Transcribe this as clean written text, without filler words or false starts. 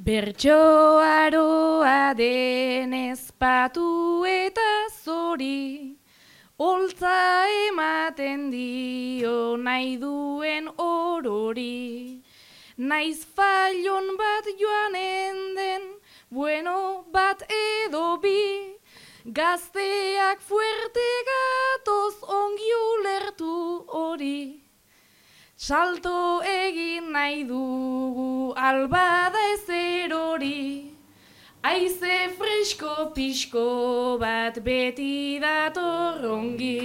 Bertsoaroa denez patu eta zori, holtza ematen dio nahi duen orori. Naiz failon bat joanen den, bueno bat edo bi, gazteak fuerte gatoz ongi ulertu hori. Salto egin nahi dugu albada ezer hori, haize fresko pixko bat beti dator ongi.